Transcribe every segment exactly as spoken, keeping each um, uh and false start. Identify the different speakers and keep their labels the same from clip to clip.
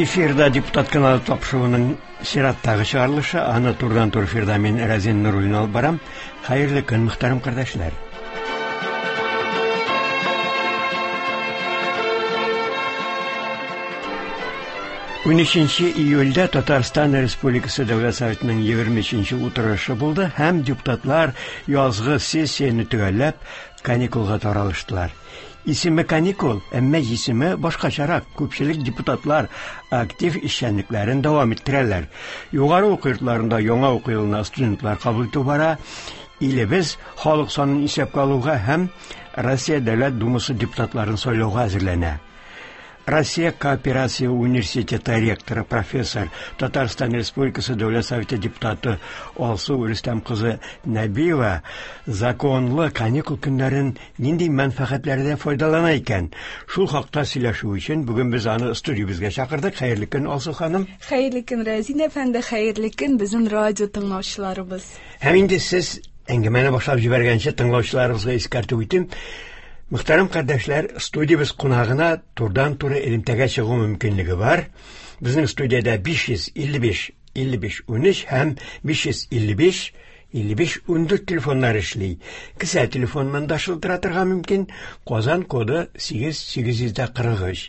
Speaker 1: Эфирда депутат каналы тапшыруының чираттагы чыгарылышы. Аны турыдан-туры эфирда мин Разин Нуруллин алып барам. Хәерле көн, мөхтәрәм кардәшләр. Унөченче июльдә Татарстан Республикасы Дәүләт Советының егерме өченче утырышы булды һәм депутатлар язгы сессияне төгәлләп каникулга таралыштылар. Исеме каникул, әмма җисеме башкачарак. Күпчелек депутатлар актив эшчәнлекләрен дәвам иттерәләр. Югары уку йортларында яңа уку елына студентлар кабул итү бара. Илебез халык санын исәпкә алуга һәм Россия Дәүләт Думасы депутатларын сайлауга әзерләнә. Россия Кооперация университеты ректоры, профессор, Татарстан Республикасы Дәүләт Советы депутаты Алсу Рөстәм кызы Нәбиева законлы каникул көннәрен нинди мәнфәгатьләрдә файдалана икән? Шул хакта сөйләшү өчен бүген без аны студиябезгә чакырдык. Хәерле көн, Алсу ханым.
Speaker 2: Хәерле көн, Разин әфәнде, хәерле көн безнең радио тыңлаучыларыбыз.
Speaker 1: Һәм инде сез әңгәмәне башлап җибәргәнче тыңлаучыларыбызга искәртеп үтим. Мөхтәрәм кардәшләр, студиябез кунагына турыдан-туры элемтәгә чыгу мөмкинлеге бар. Безнең студиядә биш йөз илле биш, илле биш, унөч һәм биш йөз илле биш, илле биш, ундүрт телефоннар эшли. Кесә телефоныннан да шылтыратырга мөмкин. Казан коды сигез сигез йөз дә кырык өч.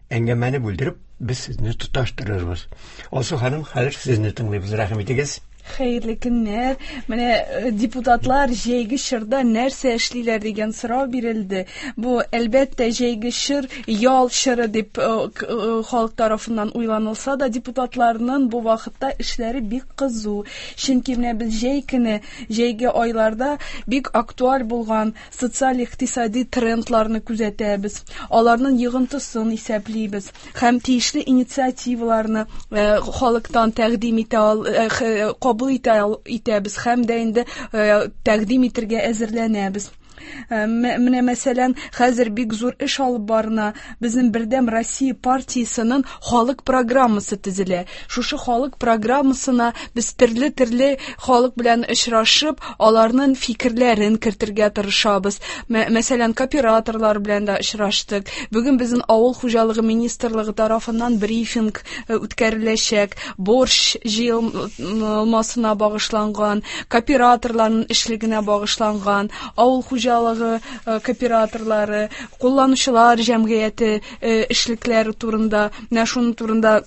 Speaker 1: Әңгәмәне бүлдереп, без сезне тоташтырырбыз. Алсу ханым, хәзер сезне тыңлыйбыз. Рәхим итегез.
Speaker 2: Хәерле көннәр. Менә депутатлар җәйге чорда нәрсә эшлиләр дигән сорау бирелде. Бу әлбәттә җәйге чор ял чоры дип, э, к-, э, халык тарафыннан уйланылса да, депутатларның бу вакытта эшләре бик кызу. Чөнки менә без җәй көне, җәйге айларда бик актуаль булган социаль-икътисади трендларны күзәтәбез. Аларның йогынтысын исәплибез һәм тиешле инициативаларны, э, халыктан тәкъдим итә ал-, э, х-, кабул итә ал-, итәбез һәм дә инде, э, тәкъдим итәргә әзерләнәбез. Э, мә-, менә мәсәлән, хәзер бик зур эш алып барына. Безнең Бердәм Россия партиясенең халык программасы төзелә. Шушы халык программасына без төрле-төрле халык белән очрашып, аларның фикерләрен кертергә тырышабыз. Мә-, мәсәлән, кооператорлар белән дә очраштык. Бүген безнең Авыл хуҗалыгы министрлыгы тарафыннан брифинг, э, үткәреләчәк. Борщ җыелмасына багышланган, кооператорларның эшлегенә багышланган, авыл хуҗалыгы, э, кооператорлары, кулланучылар җәмгыяте, э, эшлекләре турында, менә шуның турында,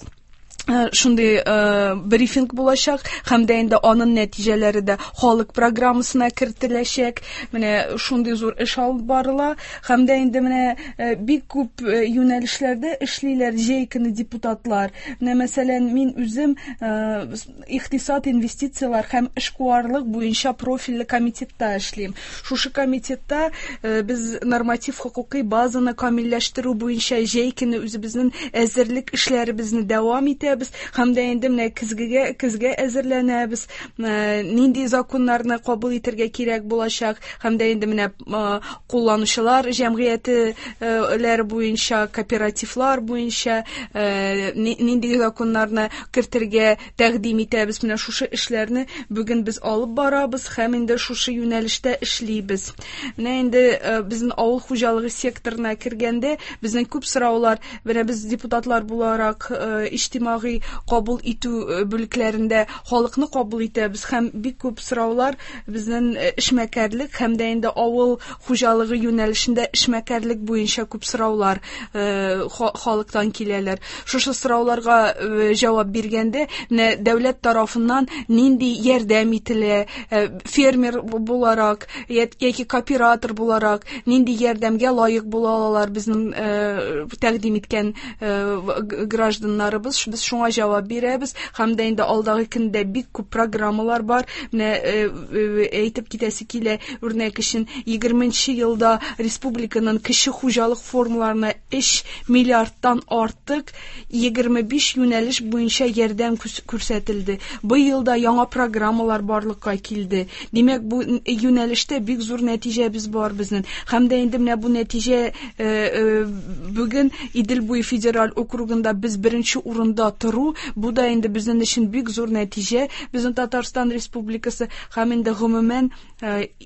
Speaker 2: э, шундый, э, брифинг булачак һәм дә инде аның нәтиҗәләре дә халык программасына кертеләчәк. Менә шундый зур эш алып барыла һәм дә инде менә, э, бик күп, э, юнәлешләрдә эшлиләр җәй көне депутатлар. Менә мәсәлән, мин үзем, э, икътисад, инвестицияләр һәм эшкуарлык буенча профильле комитетта эшлим. Шушы комитетта, э, без норматив хокукый базаны камилләштерү буенча җәй көне үзебезнең әзерлек эшләребезне дәвам итәбез һәм дә инде менә көзгегә, көзгә әзерләнәбез. Э, нинди законнарны кабул итәргә кирәк булачак һәм дә инде менә, э, кулланучылар җәмгыяте, э, буенча, кооперативлар буенча, э, ни-, нинди законнарны кертергә тәкъдим итәбез. Менә шушы эшләрне бүген без алып барабыз һәм инде шушы юнәлештә эшлибез. Менә инде, э, безнең авыл хуҗалыгы секторына кергәндә безнең күп сораулар, менә без депутатлар буларак, э, иҗтимагый кабул итү, э, бүлекләрендә халыкны кабул итәбез һәм бик күп сораулар безнең, э, эшмәкәрлек һәм дә инде авыл хуҗалыгы юнәлешендә эшмәкәрлек буенча күп сораулар, э, ха-, халыктан киләләр. Шушы сорауларга, э, җавап биргәндә, менә дәүләт тарафыннан нинди ярдәм ителә, э, фермер буларак яки кооператор буларак нинди ярдәмгә лаек була алалар безнең, э, тәкъдим иткән, э, г-, гражданнарыбыз. Без шуңа җавап бирәбез һәм дә инде алдагы көндә бик күп программалар бар. Менә, э, э, әйтеп китәсе килә, үрнәк өчен егерменче елда республиканың кече хуҗалык формаларына өч миллиардтан артык егерме биш юнәлеш буенча ярдәм күс-, күрсәтелде. Бу елда яңа программалар барлыкка килде. Димәк, бу юнәлештә бик зур нәтиҗәбез бар безнең. Һәм дә инде менә бу нәтиҗә, э, э, бүген Идел буе федераль округында без беренче урында тору, бу да инде безнең өчен бик зур нәтиҗә. Безнең Татарстан Республикасы һәм инде гомумән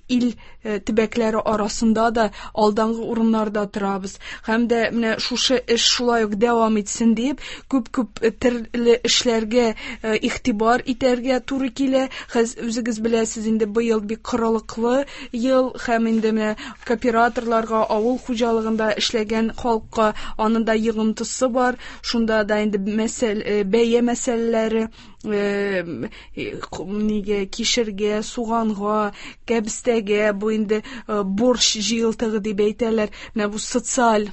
Speaker 2: ил төбәкләре арасында да алдангы урыннарда торабыз. Һәм дә менә шушы эш шулай ук дәвам итсен дип, күп-күп төрле эшләргә игътибар итәргә туры килә. Хәз үзегез беләсез инде, быел бик корылыклы ел, һәм инде менә кооператорларга, авыл хуҗалыгында эшләгән халыкка аның да йогынтысы бар. Шунда да инде мәсәл, бәя мәсьәләләре, нигә кишергә, суганга, кәбестәгә, бу инде борщ җыелтыгы дип әйтәләр. Менә бу социаль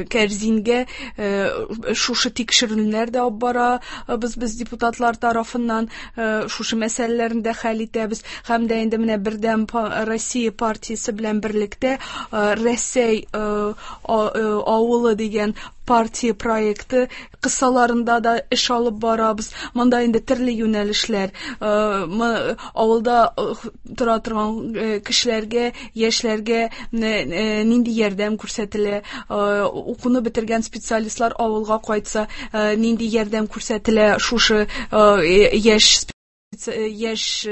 Speaker 2: кәрзингә шушы тикшеренүләр дә алып барабыз без депутатлар тарафыннан, шушы мәсьәләләрне дә хәл итәбез. Һәм дә инде менә Бердәм Россия партиясе белән берлектә Рәсәй авылы дигән партия проекты кысаларында да эш алып барабыз. Монда инде төрле юнәлешләр, авылда тора торган кешеләргә, яшьләргә нинди ярдәм күрсәтелә, укуны бетергән специалистлар авылга кайтса, нинди ярдәм күрсәтелә шушы яшь яшь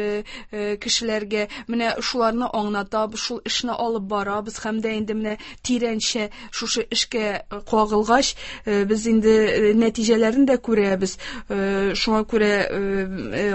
Speaker 2: кешеләргә. Менә шуларны аңлатабыз, шул эшне алып барабыз. Һәм дә инде менә тирәнчә шушы эшкә кагылгач, без инде нәтиҗәләрен дә күрәбез. Шуңа күрә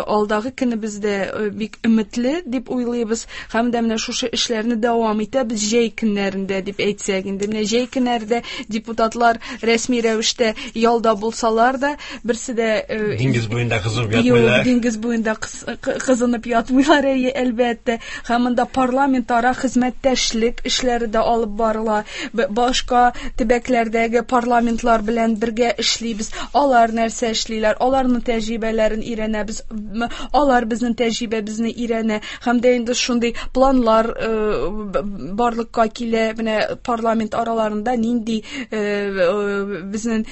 Speaker 2: алдагы көнебездә бик өметле дип уйлыйбыз. Һәм дә менә шушы эшләрне дәвам итәбез җәй көннәрендә дип әйтсәк инде. Менә җәй көннәрдә депутатлар рәсми рәвештә ялда булсалар да, берсе дә
Speaker 1: диңгез буенда кызынып ятмыйлар.
Speaker 2: Диңгез буенда кызынып ятмыйлар, әйе, әлбәттә. Һәм монда парламентара хезмәттәшлек эшләре дә алып барыла. Башка төбәкләрдәге парламентлар белән бергә эшлибез. Алар нәрсә эшлиләр, аларның тәҗрибәләрен өйрәнәбез, алар безнең тәҗрибәбезне өйрәнә. Һәм дә инде шундый планлар барлыкка килә. Менә парламент араларында нинди безнең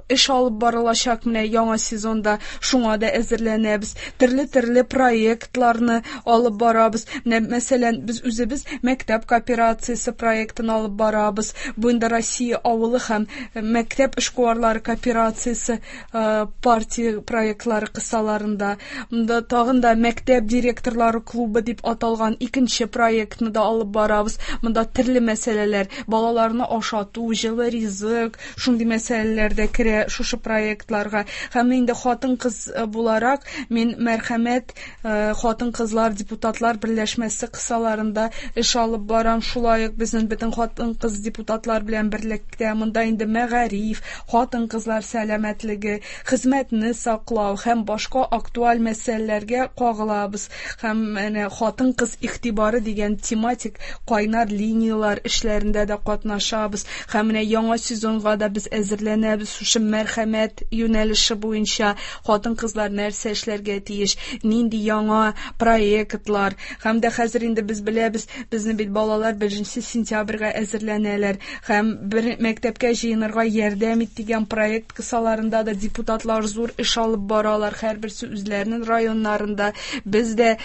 Speaker 2: эш алып барылачак менә яңа сезонда, шуңа да әзерләнәбез. Төрле-төрле проектларны алып барабыз. Менә, мәсәлән, без үзебез мәктәп кооперациясе проектын алып барабыз. Бу инде Россия авылы һәм мәктәп эшкуарлары кооперациясе партия проектлары кысаларында. Монда тагын да мәктәп директорлары клубы дип аталган икенче проектны да алып барабыз. Монда төрле мәсьәләләр, балаларны ашату, җылы ризык, шундый мәсьәләләр дә керә шушы проектларга. Һәм инде хатын-кыз буларак мин Мәрхәмәт хатын-кызлар депутатлар берләшмәсе кысаларында эш алып барам. Шулай ук безнең бөтен хатын-кыз депутатлар белән берлектә монда инде мәгариф, хатын-кызлар сәламәтлеге, хезмәтне саклау һәм башка актуаль мәсьәләләргә кагылабыз. Һәм менә хатын-кыз игътибары дигән тематик кайнар линиялар эшләрендә дә катнашабыз. Һәм менә яңа сезонга да без әзерләнәбез. Шушы мәрхәмәт юнәлеше буенча хатын-кызлар нәрсә эшләргә тиеш, нинди яңа проектлар. Һәм дә хәзер инде без беләбез, безнең бит балалар беренче сентябрьгә әзерләнәләр. Һәм бер мәктәпкә җыенырга ярдәм ит дигән проект кысаларында да депутатлар зур эш алып баралар. Һәрберсе үзләренең районнарында. Без дә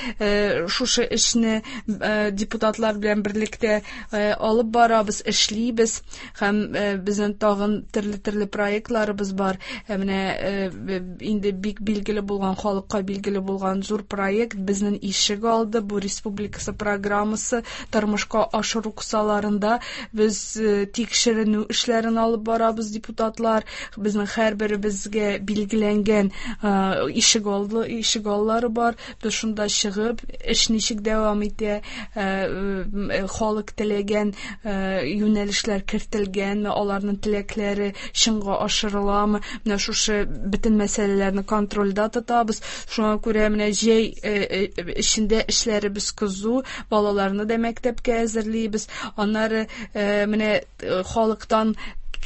Speaker 2: шушы эшне депутатлар белән берлектә алып барабыз, эшлибез. Һәм безнең тагын төрле-төрле проектларыбыз бар. Менә инде бик билгеле булган, халыкка билгеле булган зур проект безнең ишек алды. Бу республикасы программасы тормышка ашыру кысаларында без тикшеренү эшләрен алып барабыз депутатлар. Безнең һәрберебезгә билгеләнгән ишек алды, ишек аллары бар. Без шунда чыгып, эш ничек дәвам итә, халык теләгән юнәлешләр кертелгәнме, аларның теләкләре чынга ашырыламы, менә шушы бөтен мәсьәләләрне контрольдә тотабыз. Шуңа күрә менә җәй эчендә эшләребез кызу, балаларны да мәктәпкә әзерлибез. Аннары менә халыктан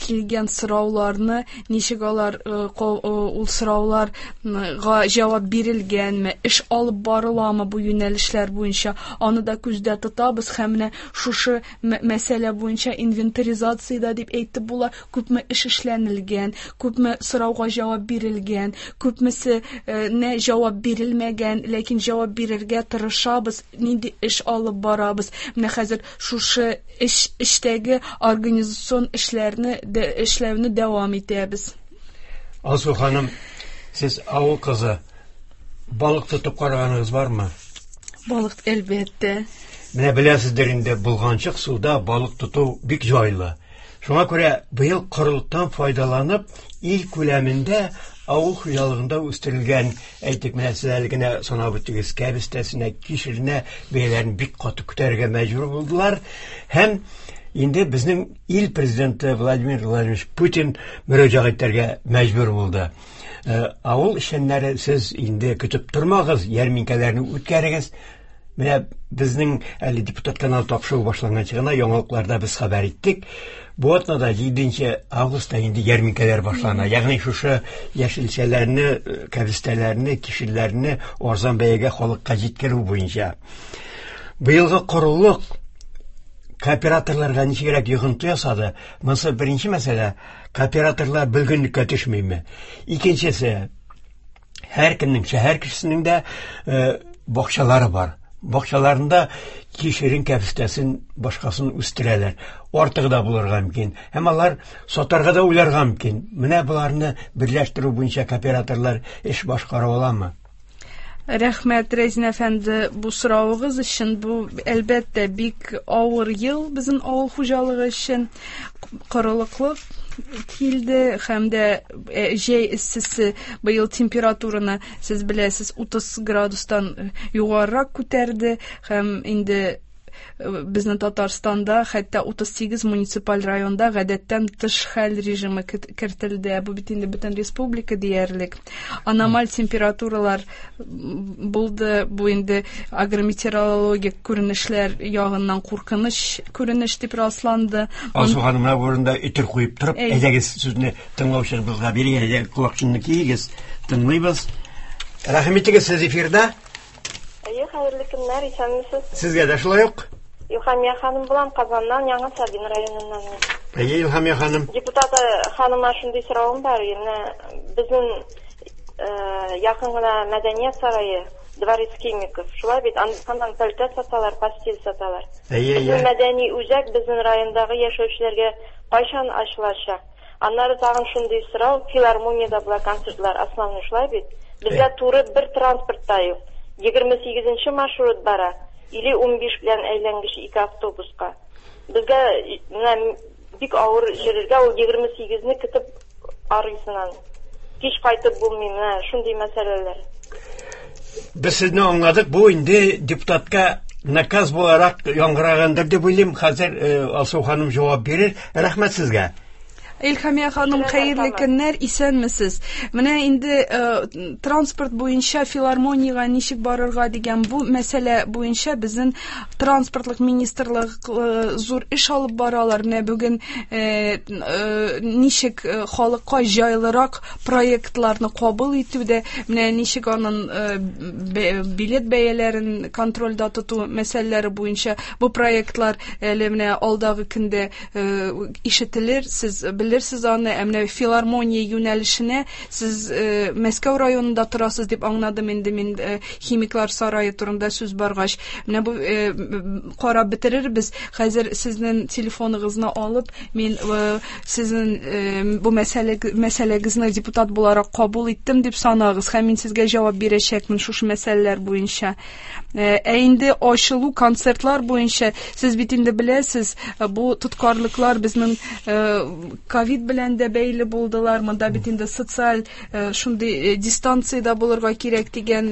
Speaker 2: килгән сорауларны, ничек алар ул сорауларга җавап бирелгәнме, эш алып барыламы бу юнәлешләр буенча, аны да күздә тотабыз. Һәм менә шушы мәсьәлә буенча инвентаризация да дип әйтеп була, күпме эш эшләнелгән, күпме сорауга җавап бирелгән, күпмесе нә җавап бирелмәгән, ләкин җавап бирергә тырышабыз, нинди эш алып барабыз. Менә хәзер шушы эш эштәге организацион эшләрне эшләүне дәвам итәбез.
Speaker 1: Алсу ханым, сез авыл кызы, балык тотып караганыгыз бармы?
Speaker 2: Балык, әлбәттә.
Speaker 1: Менә беләсездер инде, болганчык суда балык тоту бик җайлы. Шуңа күрә быел корылыктан файдаланып, ил күләмендә авыл хуҗалыгында үстерелгән, әйтик, менә сез әле генә санап үттегез, кәбестәсенә, кишеренә бәяләрен бик каты күтәрергә мәҗбүр булдылар. Һәм инде безнең ил президенты Владимир Владимирович Путин мөрәҗәгать итәргә мәҗбүр булды. Авыл эшчәннәре, сез инде көтеп тормагыз, ярминкәләрне үткәрегез. Менә безнең әле депутат каналы тапшыруы башланганчы гына яңалыкларда без хәбәр иттек. Бу атнада җиденче августта инде ярминкәләр башлана. Ягъни шушы яшелчәләрне, кәбестәләрне, кишерләрне арзан бәягә халыкка җиткерү буенча. Быелгы корылык кооператорларга ничегрәк йогынты ясады? Монысы беренче мәсьәлә. Кооператорлар бөлгенлеккә төшмиме? Икенчесе, һәркемнең, шәһәр кешесенең дә бакчалары бар. Бакчаларында кишерен, кәбестәсен, башкасын үстерәләр. Артыгы да булырга мөмкин. Һәм алар сатарга да уйларга мөмкин. Менә боларны берләштерү буенча кооператорлар эш башкара аламы?
Speaker 2: Рәхмәт, Рәзин әфәнде, бу соравыгыз өчен. Бу, әлбәттә, бик авыр ел безнең авыл хуҗалыгы өчен. Корылыклык килде һәм дә җәй эссесе быел температураны, сез беләсез, утыз градустан югарырак күтәрде һәм инде безнең Татарстанда хәтта утыз сигез муниципаль районда гадәттән тыш хәл режимы кертелде. Бу бит инде бөтен республика диярлек. Аномаль температуралар булды. Бу инде агрометеорологик күренешләр ягыннан куркыныч күренеш дип расланды.
Speaker 1: Алсу ханым, менә бу урында өтер куеп торып, әйдәгез сүзне тыңлаучыбызга бирик, әйдәгез колакчынны киегез, тыңлыйбыз. Рәхим итегез, сез эфирда.
Speaker 3: Әйе, хәерле көннәр, исәнмесез.
Speaker 1: Сезгә дә шулай ук.
Speaker 3: Илһамия ханым булам, Казаннан, Яңа Сабин районыннан.
Speaker 1: Әйе, Илһамия ханым.
Speaker 3: Депутат ханыма шундый соравым бар. Менә безнең якын гына мәдәният сарае, Дворец химиков. Шулай бит, аннан пәлтә саталар, постель саталар.
Speaker 1: Әйе, әйе.
Speaker 3: Мәдәни үзәк безнең райондагы яшәүчеләргә кайчан ачылачак? Аннары тагын шундый сорау, филармониядә була концертлар, основной шулай бит. Безгә туры бер транспорт та юк. Егерме сигезенче маршрут бара, или унбиш белән әйләнгеч ике автобуска. Безгә менә бик авыр йөрергә, ул егерме сигезне көтеп арыйсың. Кич кайтып булмый, менә шундый мәсьәләләр.
Speaker 1: Без сезне аңладык, бу инде депутатка наказ буларак яңгырагандыр дип уйлыйм. Хәзер Алсу ханым җавап бирер. Рәхмәт сезгә.
Speaker 2: Илһамия ханым, хәерле көннәр, исәнмесез. Менә инде транспорт буенча филармониягә ничек барырга дигән бу мәсьәлә буенча безнең транспортлык министрлык зур эш алып баралар. Менә бүген ничек халыкка җайлырак проектларны кабул итүдә, менә ничек аның билет бәяләрен контрольдә тоту мәсьәләләре буенча бу проектлар әле менә алдагы көндә ишетелер, сез белерсез аны. Ә менә филармония юнәлешенә сез Мәскәү районында торасыз дип аңладым инде мин, химиклар сарае турында сүз баргач. Менә бу карап бетерербез. Хәзер сезнең телефоныгызны алып, мин сезнең бу мәсьәлә мәсьәләгезне депутат буларак кабул иттем дип санагыз һәм мин сезгә җавап бирәчәкмен шушы мәсьәләләр буенча. Ә инде ачылу концертлар буенча сез бит инде беләсез, бу тоткарлыклар безнең ковид белән дә бәйле булдылар. Монда бит инде социаль шундый дистанциядә булырга кирәк дигән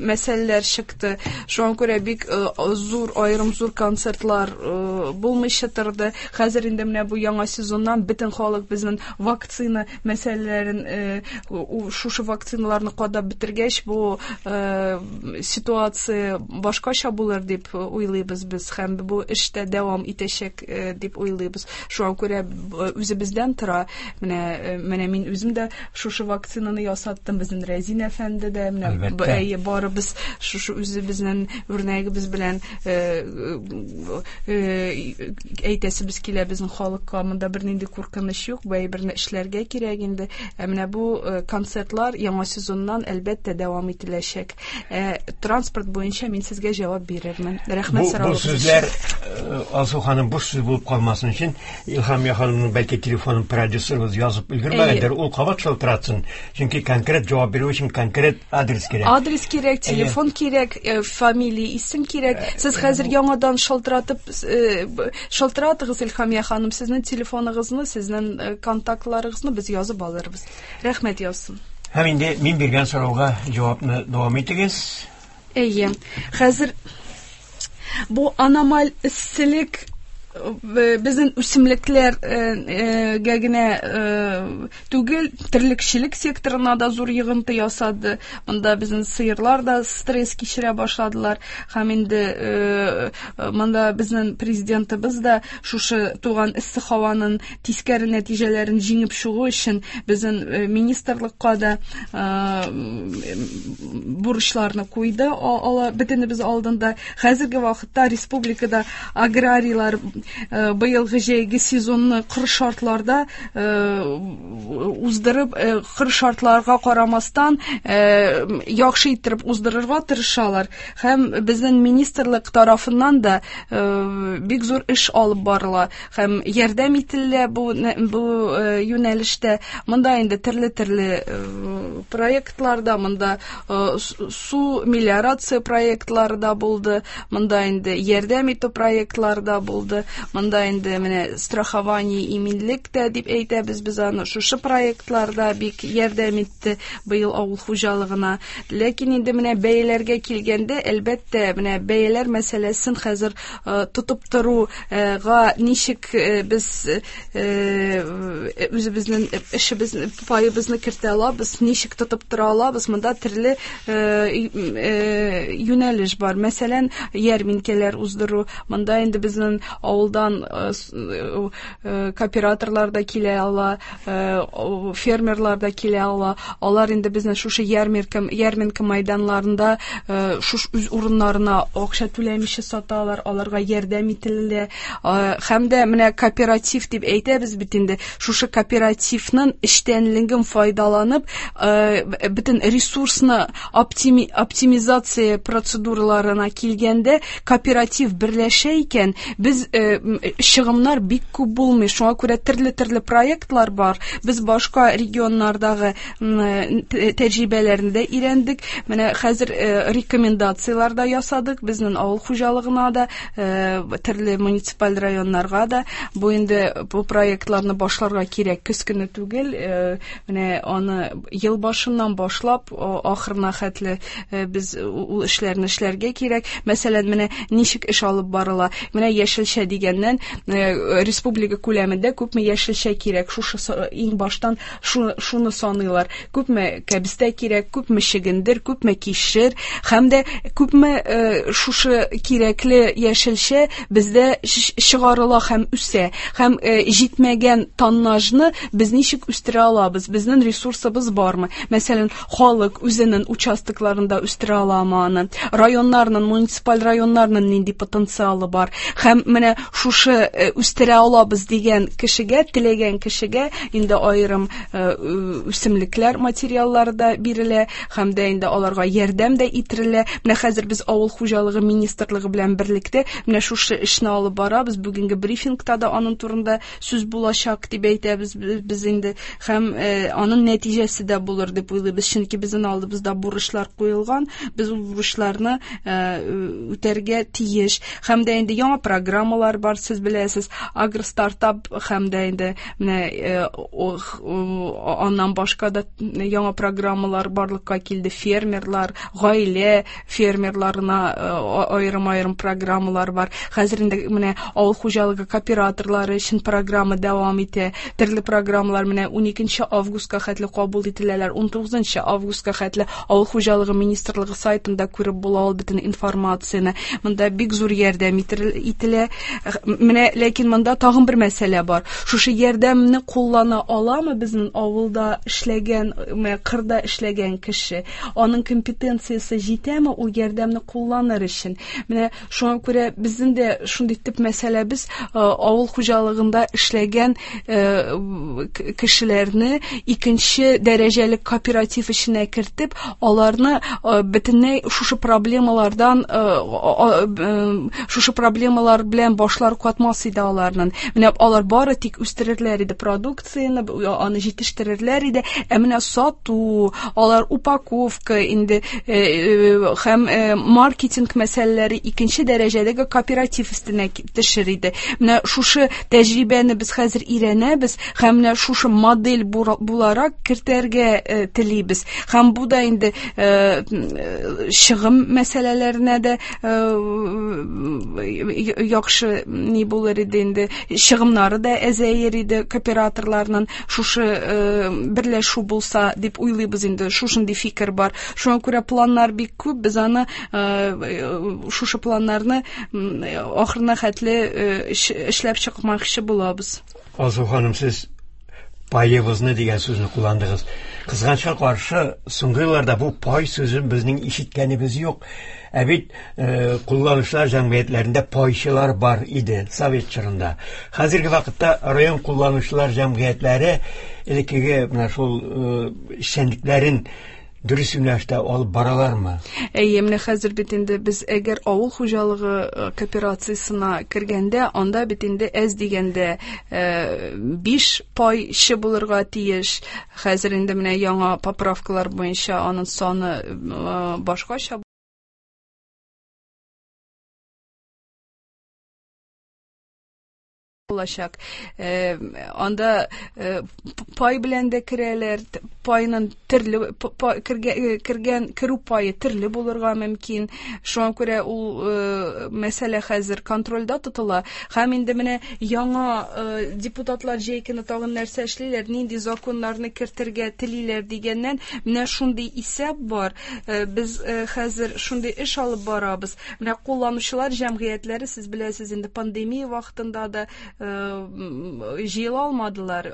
Speaker 2: мәсьәләләр чыкты. Шуңа күрә бик зур, аерым зур концертлар булмыйча торды. Хәзер инде менә бу яңа сезоннан бөтен халык безнең вакцина мәсьәләләрен, шушы вакциналарны кадап бетергәч, бу ситуация башкача булыр дип уйлыйбыз без һәм бу эш тә дәвам итәчәк дип уйлыйбыз. Шуңа күрә үзебездән тора. Менә менә мин үзем дә шушы вакцинаны ясаттым, безнең Рәзин әфәнде дә, менә әйе, барыбыз шушы үзебезнең үрнәгебез белән әйтәсебез килә безнең халыкка, монда бернинди куркыныч юк, бу әйберне эшләргә кирәк инде. Ә менә бу концертлар яңа сезоннан әлбәттә дәвам ителәчәк. Транспорт буенча мин сезгә җавап бирермен. Рәхмәт соравыгыз.
Speaker 1: Бу сүзләр, Алсу ханым, буш сүз булып калмасын өчен Илһамия ханым ханымның бәлки телефонын продюсерыбыз язып өлгермәгәндер, ул кабат шалтыратсын. Чөнки конкрет җавап бирү өчен конкрет адрес кирәк.
Speaker 2: Адрес кирәк, телефон кирәк, фамилия, исем кирәк. Сез хәзер яңадан шалтыратып шалтыратыгыз, Илһамия ханым, сезнең телефоныгызны, сезнең контактларыгызны без язып алырбыз. Рәхмәт язсын.
Speaker 1: Һәм инде мин биргән сорауга җавапны дәвам итегез.
Speaker 2: Әйе. Хәзер бу аномаль эсселек безнең үсемлекләргә генә түгел, терлекчелек секторына да зур йогынты ясады. Монда безнең сыерлар да стресс кичерә башладылар. Һәм инде монда безнең президентыбыз да шушы туган эссе һаваның тискәре нәтиҗәләрен җиңеп чыгу өчен безнең министрлыкка да бурычларны куйды. Ала бөтенебез алдында. Хәзерге вакытта республикада аграрийлар быелгы җәйге сезонны кыр шартларда уздырып, кыр шартларга карамастан яхшы иттереп уздырырга тырышалар. Һәм безнең министрлык тарафыннан да бик зур эш алып барыла һәм ярдәм ителә бу бу юнәлештә. Монда инде төрле-төрле проектларда, монда су мелиорация проектлары да булды, монда инде ярдәм итү проектлары да булды. Монда инде менә страхование иминлек тә дип әйтәбез без аны. Шушы проектларда бик ярдәм итте быел авыл хуҗалыгына. Ләкин инде менә бәяләргә килгәндә, әлбәттә, менә бәяләр мәсьәләсен хәзер тотып торуга ничек без үзебезнең эшебезне, паебызны кертә алабыз, ничек тотып тора алабыз, монда төрле юнәлеш бар. Мәсәлән, ярминкәләр уздыру. Монда инде безнең авылдан кооператорлар да килә ала, фермерлар да килә ала. Алар инде безнең шушы ярминкә, ярминкә майданларында шуш үз урыннарына акча түләмичә саталар, аларга ярдәм ителә. Һәм дә менә кооператив дип әйтәбез бит инде. Шушы кооперативның эштәнлеген файдаланып, бөтен ресурсны оптими, оптимизация процедураларына килгәндә кооператив берләшә икән, без чыгымнар бик күп булмый. Шуңа күрә төрле-төрле проектлар бар. Без башка регионнардагы тәҗрибәләрне дә өйрәндек. Менә хәзер рекомендацияләр дә ясадык безнең авыл хуҗалыгына да, төрле муниципаль районнарга да. Бу инде бу проектларны башларга кирәк, көз көне түгел. Менә аны ел башыннан башлап ахырына хәтле без ул эшләрне эшләргә кирәк. Мәсәлән, менә ничек эш алып барыла. Менә яшелчә дигәннән республика күләмендә күпме яшелчә кирәк, шушы иң баштан шуны саныйлар. Күпме кәбестә кирәк, күпме чөгендер, күпме кишер һәм дә күпме шушы кирәкле яшелчә бездә чыгарыла һәм үсә. Һәм җитмәгән тоннажны без ничек үстерә алабыз? Безнең ресурсыбыз бармы? Мәсәлән, халык үзенең участокларында үстерә аламы аны? Районнарның, муниципаль районнарның нинди потенциалы бар? Һәм менә шушы үстерә алабыз дигән кешегә, теләгән кешегә инде аерым үсемлекләр материаллары да бирелә һәм дә инде аларга ярдәм дә ителә. Менә хәзер без авыл хуҗалыгы министрлыгы белән берлектә менә шушы эшне алып барабыз. Бүгенге брифингта да аның турында сүз булачак дип әйтәбез без инде. Һәм аның нәтиҗәсе дә булыр дип уйлыйбыз, чөнки безнең алдыбызда бурычлар куелган, без ул бурычларны үтәргә тиеш. Һәм дә инде яңа программалар бар, сез беләсез, агростартап һәм дә инде менә аннан башка да яңа программалар барлыкка килде. Фермерлар, гаилә фермерларына аерым-аерым программалар бар. Хәзер инде менә авыл хуҗалыгы кооператорлары өчен программа дәвам итә. Төрле программалар менә уникенче августка хәтле кабул ителәләр, унтугызынчы августка хәтле авыл хуҗалыгы министрлыгы сайтында күреп була ул бөтен информацияне. Монда бик зур ярдәм ителә. Менә ләкин монда тагын бер мәсьәлә бар. Шушы ярдәмне куллана аламы безнең авылда эшләгән, менә кырда эшләгән кеше? Аның компетенциясе җитәме ул ярдәмне кулланыр өчен? Менә шуңа күрә безнең дә шундый төп мәсьәләбез авыл хуҗалыгында эшләгән кешеләрне икенче дәрәҗәле кооператив эченә кертеп, аларны бөтенләй шушы проблемалардан, шушы проблемалар белән башлар катмас иде аларның. Менә алар бары тик үстерерләр иде продукцияне, аны җитештерерләр иде. Ә менә сату, алар упаковка инде һәм маркетинг мәсьәләләре икенче дәрәҗәдәге кооператив өстенә төшер иде. Менә шушы тәҗрибәне без хәзер өйрәнәбез һәм менә шушы модель буларак кертергә телибез. Һәм бу да инде чыгым мәсьәләләренә дә яхшы ни булыр иде инде, чыгымнары да әзәер иде кооператорларның шушы берләшү булса дип уйлыйбыз инде, шушындый фикер бар. Шуңа күрә планнар бик күп, без аны шушы планнарны ахырына хәтле эшләп чыкмакчы булабыз.
Speaker 1: Алсу ханым, сез паебызны дигән сүзне кулландыгыз. Кызганычка каршы, соңгы елларда бу пай сүзен безнең ишеткәнебез юк. Ә бит кулланучылар җәмгыятьләрендә пайчылар бар иде совет чорында. Хәзерге вакытта район кулланучылар җәмгыятьләре элеккеге менә шул эшчәнлекләрен дөрес юнәлештә алып баралармы?
Speaker 2: Әйе, менә хәзер бит инде без әгәр авыл хуҗалыгы кооперациясенә кергәндә, анда бит инде әз дигәндә биш пайчы булырга тиеш. Хәзер инде менә яңа поправкалар буенча аның саны башкача булачак. Анда пай белән дә керәләр, пайның төрле кергән керү пайы төрле булырга мөмкин. Шуңа күрә ул мәсьәлә хәзер контрольдә тотыла. Һәм инде менә яңа депутатлар җәй көне тагын нәрсә эшлиләр, нинди законнарны кертергә телиләр дигәннән, менә шундый исәп бар. Без хәзер шундый эш алып барабыз. Менә кулланучылар җәмгыятьләре, сез беләсез инде, пандемия вакытында да җыела алмадылар,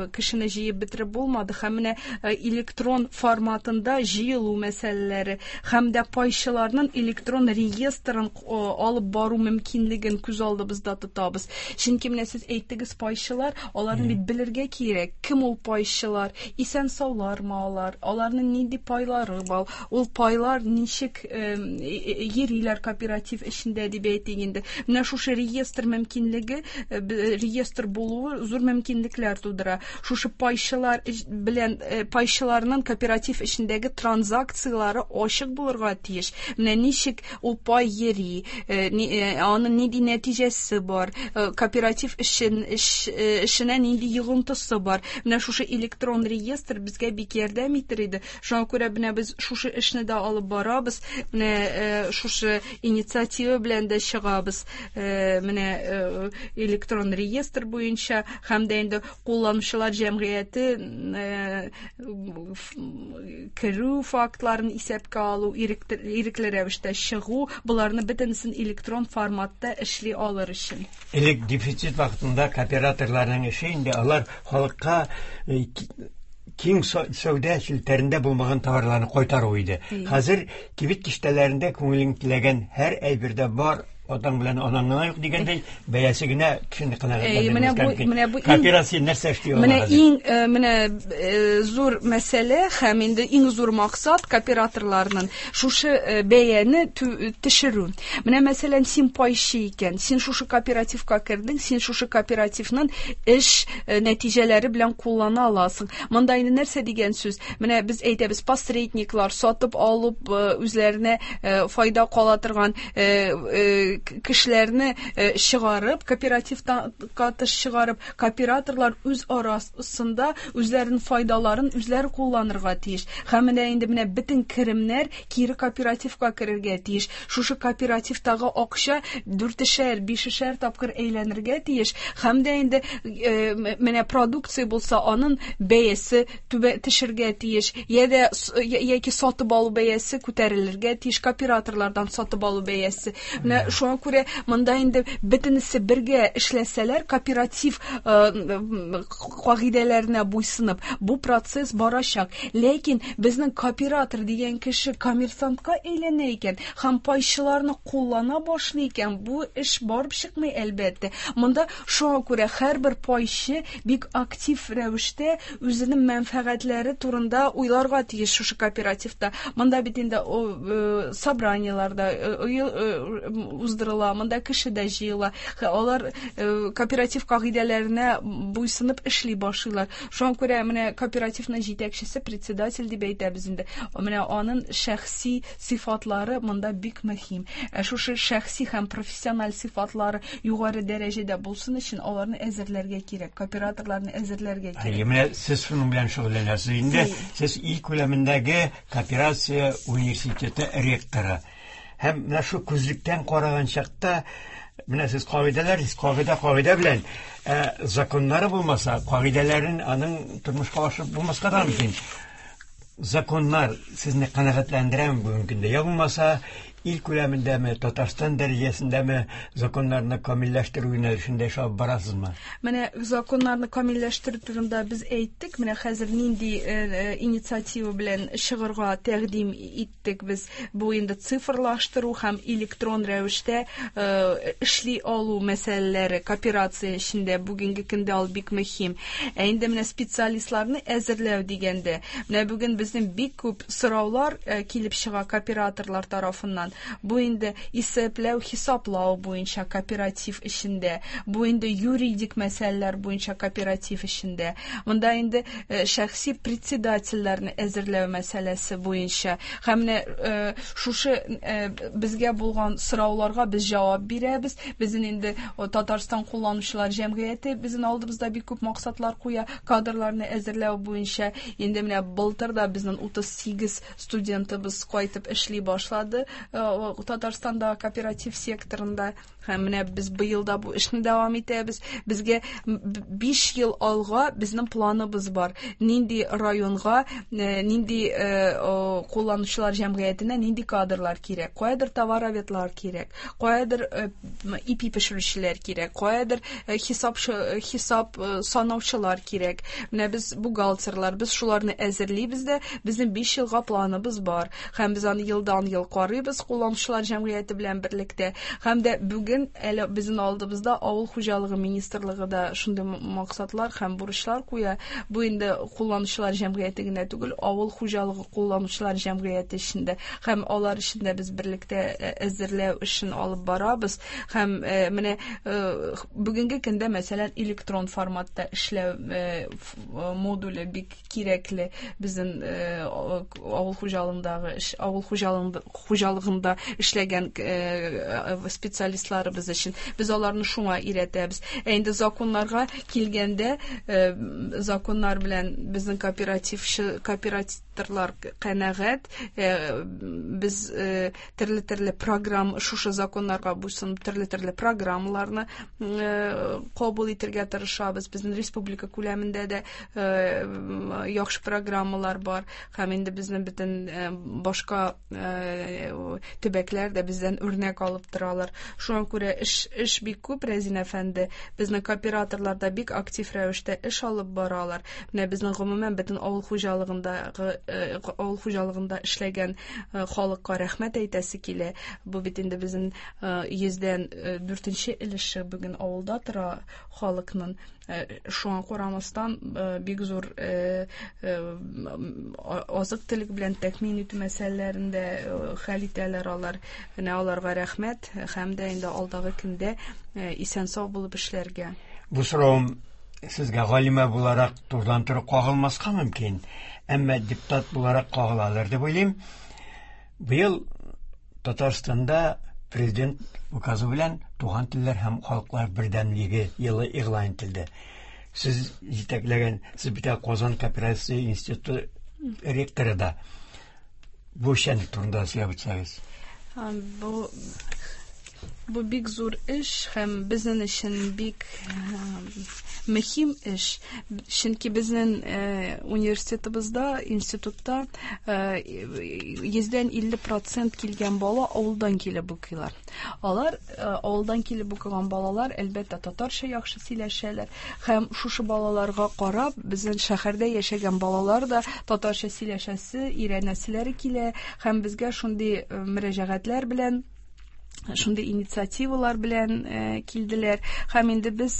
Speaker 2: кешене җыеп бетереп булмады. Һәм менә электрон форматында җыелу мәсьәләләре һәм дә пайчыларның электрон реестрын алып бару мөмкинлеген күз алдыбызда тотабыз. Чөнки менә сез әйттегез, пайчылар, аларны бит белергә кирәк, кем ул пайчылар, исән саулармы алар, аларның нинди пайлары бар, ул пайлар ничек йөриләр кооператив эчендә дип әйтик инде. Менә шушы реестр мөмкинлеге, реестр булуы зур мөмкинлекләр тудыра. Шушы пайчылар белән пайчыларның кооператив эчендәге транзакцияләре ачык булырга тиеш. Менә ничек ул пай йөри, аның нинди нәтиҗәсе бар, кооператив эшен эшенә нинди йогынтысы бар. Менә шушы электрон реестр безгә бик ярдәм итер иде. Шуңа күрә менә без шушы эшне дә алып барабыз. Менә шушы инициатива белән дә чыгабыз. Менә электрон реестр буенча һәм дә инде кулланучылар җәмгыяте керү фактларын исәпкә алу, ирекле рәвештә чыгу, боларны бөтенесен электрон форматта эшли алыр өчен.
Speaker 1: Элек дефицит вакытында кооператорларның эше инде алар халыкка киң сәүдә челтәрендә булмаган товарларны кайтару иде. Хәзер кибет киштәләрендә күңелең теләгән һәр әйбердә бар, атаң белән анаң гына юк дигәндәй, бәясе генә кешене канәгатьләндермәскә мөмкин. Кооперация нәрсә эшли ала?
Speaker 2: Менә иң менә зур мәсьәлә һәм инде иң зур максат кооператорларның шушы бәяне төшерү. Менә мәсәлән, син пайчы икән, син шушы кооперативка кердең, син шушы кооперативның эш нәтиҗәләре белән куллана аласың. Монда инде нәрсә дигән сүз? Менә без әйтәбез, посредниклар сатып алып үзләренә файда кала торган кешеләрне чыгарып, кооперативтан тыш чыгарып, кооператорлар үз арасында үзләренең файдаларын үзләре кулланырга тиеш. Һәм менә инде менә бөтен керемнәр кире кооперативка керергә тиеш. Шушы кооперативтагы акча дүртешәр, бишешәр тапкыр әйләнергә тиеш. Һәм дә инде менә продукция булса, аның бәясе төшергә тиеш. Я дә яки сатып алу бәясе күтәрелергә тиеш, кооператорлардан сатып алу бәясе. Менә Шуңа күрә монда инде бөтенесе бергә эшләсәләр, кооператив кагыйдәләренә буйсынып, бу процесс барачак. Ләкин безнең кооператор дигән кеше коммерсантка әйләнә икән һәм пайчыларны куллана башлый икән, бу эш барып чыкмый, әлбәттә. Монда шуңа күрә һәрбер пайчы бик актив рәвештә үзенең мәнфәгатьләре турында уйларга тиеш шушы кооперативта. Монда бит инде собраниеларда уздырыла, монда кеше дә җыела. Алар кооператив кагыйдәләренә буйсынып эшли башлыйлар. Шуңа күрә менә кооперативның җитәкчесе, председатель дип әйтәбез инде. Менә аның шәхси сыйфатлары монда бик мөһим. Шушы шәхси һәм профессиональ сыйфатлары югары дәрәҗәдә булсын өчен аларны әзерләргә кирәк, кооператорларны әзерләргә кирәк.
Speaker 1: Әйе, менә сез шуның белән шөгыльләнәсез инде. Сез ил күләмендәге кооперация университеты ректоры. Һәм менә шу күзлектән караган чакта, менә сез кагыйдәләр, сез кагыйдә кагыйдә белән, ә законнары булмаса, кагыйдәләрен аның тормышка ашырып булмаска да мөмкин. Законнар сезне канәгатьләндерәме бүгенге көндә? Я булмаса, ил күләмендәме, Татарстан дәрәҗәсендәме законнарны камилләштерү юнәлешендә эш алып барасызмы?
Speaker 2: Менә законнарны камилләштерү турында без әйттек. Менә хәзер нинди инициатива белән чыгарга тәкъдим иттек без. Бу инде цифрлаштыру һәм электрон рәвештә эшли алу мәсьәләләре кооперация эчендә бүгенге көндә ул бик мөһим. Ә инде менә специалистларны әзерләү дигәндә, менә бүген безнең бик күп сораулар килеп чыга кооператорлар тарафыннан. Бу инде исәпләү, хисаплау буенча кооператив эчендә, бу инде юридик мәсьәләләр буенча кооператив эчендә. Монда инде шәхси председательләрне әзерләү мәсьәләсе буенча. Һәм менә шушы безгә булган сорауларга без җавап бирәбез. Безнең инде Татарстан кулланучылар җәмгыяте безнең алдыбызда бик күп максатлар куя кадрларны әзерләү буенча. Инде менә былтыр да безнең утыз сигез студентыбыз кайтып эшли башлады Татарстанда кооператив секторында. Һәм менә без быел да бу эшне дәвам итәбез. Безгә биш ел алга безнең планыбыз бар. Нинди районга, нинди кулланучылар җәмгыятенә нинди кадрлар кирәк, каядыр товароведлар кирәк, каядыр ипи пешерүчеләр кирәк, каядыр хисап хисап санаучылар кирәк. Менә без бухгалтерлар, без шуларны әзерлибез дә, безнең биш елга планыбыз бар. Һәм без аны елдан-ел карыйбыз кулланучылар җәмгыяте белән берлектә. Һәм дә бүген әле безнең алдыбызда Авыл хуҗалыгы министрлыгы да шундый максатлар һәм бурычлар куя. Бу инде кулланучылар җәмгыяте генә түгел, авыл хуҗалыгы кулланучылар җәмгыяте эчендә һәм алар эчендә без берлектә әзерләү эшен алып барабыз. Һәм менә бүгенге көндә, мәсәлән, электрон форматта эшләү модуле бик кирәкле безнең авыл хуҗалыгындагы авыл хуҗалыгында эшләгән специалистларыбыз өчен. Без аларны шуңа өйрәтәбез. Ә инде законнарга килгәндә, законнар белән безнең кооперативчы кооператорлар канәгать. Без төрле-төрле программ шушы законнарга буйсынып төрле-төрле программаларны кабул итәргә тырышабыз. Безнең республика күләмендә дә яхшы программалар бар. Һәм инде безнең бөтен башка төбәкләр дә бездән үрнәк алып торалар. Шуңа күрә эш эш бик күп, Рәзин әфәнде. Безнең кооператорлар да бик актив рәвештә эш алып баралар. Менә безнең гомумән бөтен авыл хуҗалыгындагы авыл хуҗалыгында эшләгән халыкка рәхмәт әйтәсе килә. Бу бит инде безнең йөздән дүртенче өлеше бүген авылда тора халыкның. Шуңа карамастан бик зур азык-төлек белән тәэмин итү мәсьәләләрендә хәл итәләр алар. Менә аларга рәхмәт һәм дә инде алдагы көндә исән-сау булып эшләргә.
Speaker 1: Бу соравым сезгә галимә буларак турыдан-туры кагылмаска мөмкин, әмма депутат буларак кагыладыр дип уйлыйм. Быел Татарстанда президент указы белән туган телләр һәм халыклар бердәмлеге елы игълан ителде. Сез җитәкләгән, сез бит Казан кооперация институты ректоры да. Бу эшчәнлек турында сөйләп үтсәгез.
Speaker 2: Бу Бу бик зур эш һәм безнең өчен бик мөһим эш. Чөнки безнең университетыбызда, институтта йөздән илле процент килгән бала авылдан килеп укыйлар. Алар авылдан килеп укыган балалар, әлбәттә, татарча яхшы сөйләшәләр. Һәм шушы балаларга карап, безнең шәһәрдә яшәгән балалар да татарча сөйләшәсе, өйрәнәселәре килә һәм безгә шундый мөрәҗәгатьләр белән, шундый инициативалар белән килделәр. Һәм инде без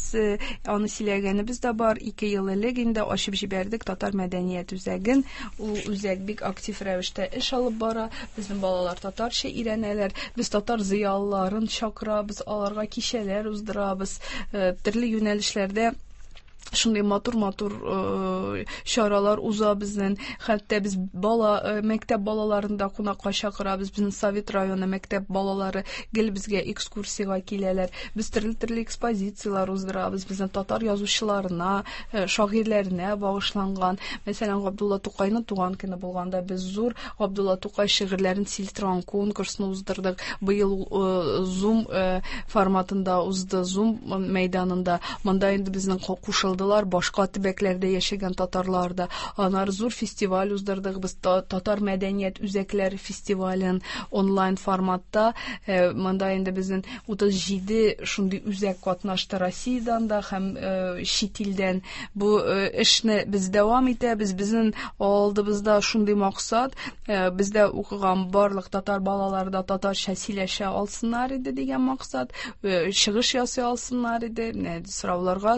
Speaker 2: аны сөйләгәнебез дә бар. Ике ел элек инде ачып җибәрдек Татар мәдәният үзәген. Ул үзәк бик актив рәвештә эш алып бара. Безнең балалар татарча өйрәнәләр. Без татар зыялыларын чакырабыз, аларга кичәләр уздырабыз. Төрле юнәлешләрдә шундый матур-матур чаралар уза безнең. Хәтта без бала, мәктәп балаларын да кунакка чакырабыз. Безнең Совет районы мәктәп балалары гел безгә экскурсиягә киләләр. Без төрле-төрле экспозицияләр уздырабыз. Безнең татар язучыларына, шагыйрьләренә багышланган. Мәсәлән, Габдулла Тукайның туган көне булганда без зур Габдулла Тукай шигырьләрен сөйли торган конкурсны уздырдык. Быел Zoom форматында узды, Zoom мәйданында. Монда инде безнең кушылды башка төбәкләрдә яшәгән татарлар да. Аннары зур фестиваль уздырдык без, Татар мәдәният үзәкләре фестивален онлайн форматта. Монда инде безнең утыз җиде шундый үзәк катнашты Россиядән дә һәм чит илдән. Бу эшне без дәвам итәбез. Безнең алдыбызда шундый максат, бездә укыган барлык татар балалары да татарча сөйләшә алсыннар иде дигән максат, чыгыш ясый алсыннар иде, сорауларга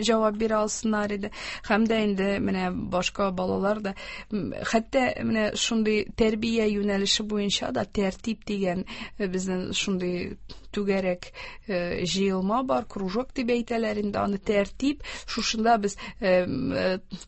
Speaker 2: җавап бирә алсыннар иде. Һәм дә инде менә башка балалар да, хәтта менә шундый тәрбия юнәлеше буенча да тәртип дигән безнең шундый түгәрәк җыелма бар, кружок дип әйтәләр инде аны, тәртип. Шушында без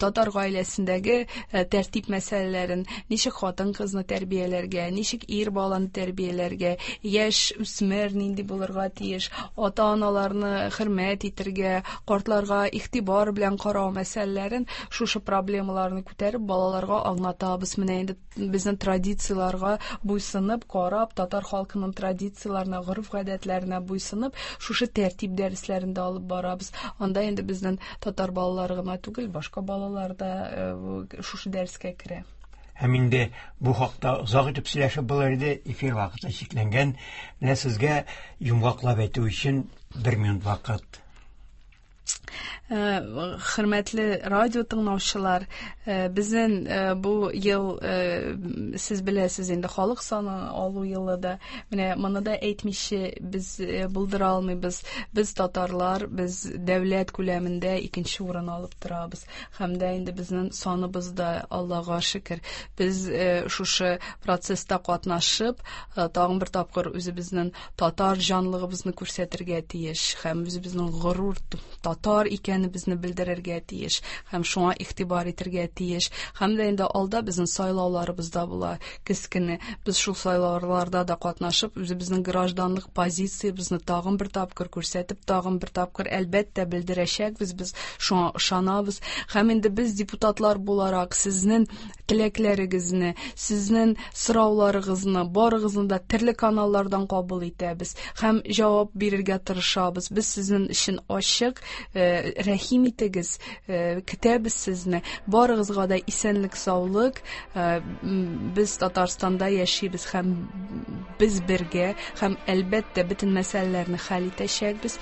Speaker 2: татар гаиләсендәге тәртип мәсьәләләрен, ничек хатын-кызны тәрбияләргә, ничек ир баланы тәрбияләргә, яшь үсмер нинди булырга тиеш, ата-аналарны хөрмәт итәргә, картларга игътибар белән карау мәсьәләләрен, шушы проблемаларны күтәреп балаларга аңлатабыз. Менә инде безнең традицияләргә буйсынып, карап, татар халкының традицияләренә, гореф-гадәтләренә буйсынып, шушы тәртип дәресләрен дә алып барабыз. Анда инде безнең татар балалары гына түгел, башка балалар да шушы дәрескә керә.
Speaker 1: Һәм инде бу хакта озак итеп сөйләшеп булыр иде, эфир вакыты чикләнгән. Менә сезгә йомгаклап әйтү өчен бер минут вакыт.
Speaker 2: Хөрмәтле радио тыңлаучылар, безнең бу ел, сез беләсез инде, халык саны алу елы да. Менә моны да әйтмичә без булдыра алмыйбыз. Без татарлар, без дәүләт күләмендә икенче урын алып торабыз. Һәм дә инде безнең саныбыз да, Аллага шөкер, без шушы процесста катнашып, тагын бер тапкыр үзебезнең татар җанлыгыбызны күрсәтергә тиеш һәм үзебезнең горур татар икәнебезне белдерергә тиеш һәм шуңа игътибар итәргә тиеш. Һәм дә инде алда безнең сайлауларыбыз да була көз көне. Без шул сайлауларда да катнашып, үзебезнең гражданлык позициябезне тагын бер тапкыр күрсәтеп, тагын бер тапкыр әлбәттә белдерәчәкбез. Без шуңа ышанабыз. Һәм инде без депутатлар буларак сезнең теләкләрегезне, сезнең сорауларыгызны, барыгызны да төрле каналлардан кабул итәбез һәм җавап бирергә тырышабыз. Без сезнең өчен ачык, рәхим итегез, көтәбез сезне. Барыгызга да исәнлек, саулык. Без Татарстанда яшибез һәм без бергә һәм әлбәттә бөтен мәсьәләләрне хәл итәчәкбез.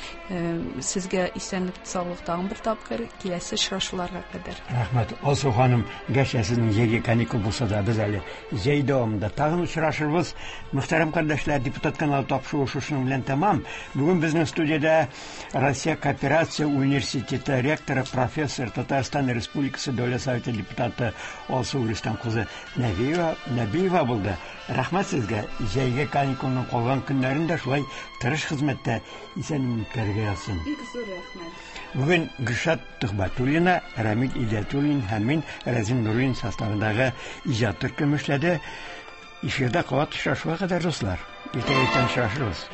Speaker 2: Сезгә исәнлек, саулык тагын бер тапкыр, киләсе очрашуларга кадәр.
Speaker 1: Рәхмәт, Алсу ханым. Гәрчә сезнең җәйге каникул булса да, без әле җәй дәвамында тагын очрашырбыз. Мөхтәрәм кардәшләр, депутат каналы тапшыруы шушының белән тәмам. Бүген безнең студиядә Россия кооперация университеты ректоры, профессор, Татарстан Республикасы Дәүләт Советы депутаты Алсу Рөстәм кызы Нәбиева, Нәбиева булды. Рәхмәт сезгә. Җәйге каникулның калган көннәрен дә шулай тырыш хезмәттә исән үткәрергә язсын.
Speaker 2: Бик зур рәхмәт.
Speaker 1: Бүген Гөлшат Төхбәтуллина, Рамил Идиятуллин һәм мин Рәзим Нуруллин составындагы иҗат төркеме эшләде. Эфирдә кабат очрашуга кадәр, дуслар. Иртәгә иртән очрашырбыз.